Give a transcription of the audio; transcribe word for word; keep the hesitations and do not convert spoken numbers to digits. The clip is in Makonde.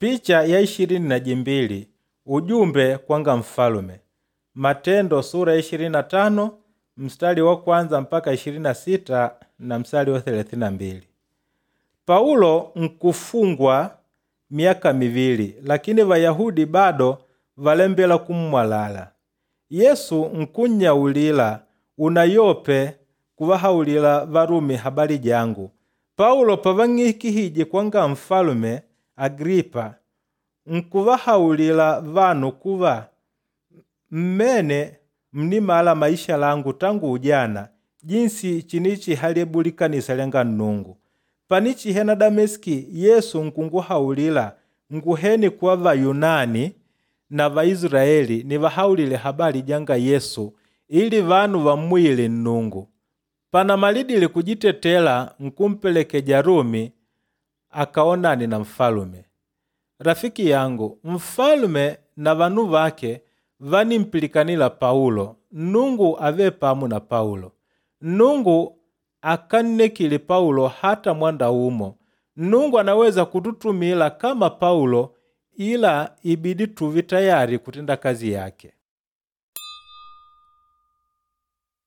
Picha ya ishirini na jimbili ujumbe kwanga mfalume. Matendo sura ya ishirini na tano mstari wa kwanza mpaka ishirini na sita na mstari wa thelathini na mbili. Paulo nkufungwa miaka mivili lakini Vayahudi bado valembela kummwalala. Yesu nkunnyaulila unayope kuvahaulila Varumi habali jangu. Paulo pavang'ikihije kwanga mfalume Agripa nkuvahaulila vanu kuva mmene mnimala maisha langu tangu ujana jinsi chinichihalebuli likanisa lyanga Nnungu. Panichihena Dameski Yesu nkunguhaulila nguhene kwa Vayunani na Vaisilaeli nivahaulile habali janga Yesu ili vanu vammuyile Nnungu. Panamalidile kujitetela nkumpelekeja Rumi akaonane na mfalume. Rafiki yangu, mfalume na vanu vake vanimpilikana Paulo, Nnungu ave pamo na Paulo. Nnungu akannekile Paulo hata mwanda umo. Nnungu anaweza kututumila kama Paulo ila ibidi tuve tayari kutenda kazi yake.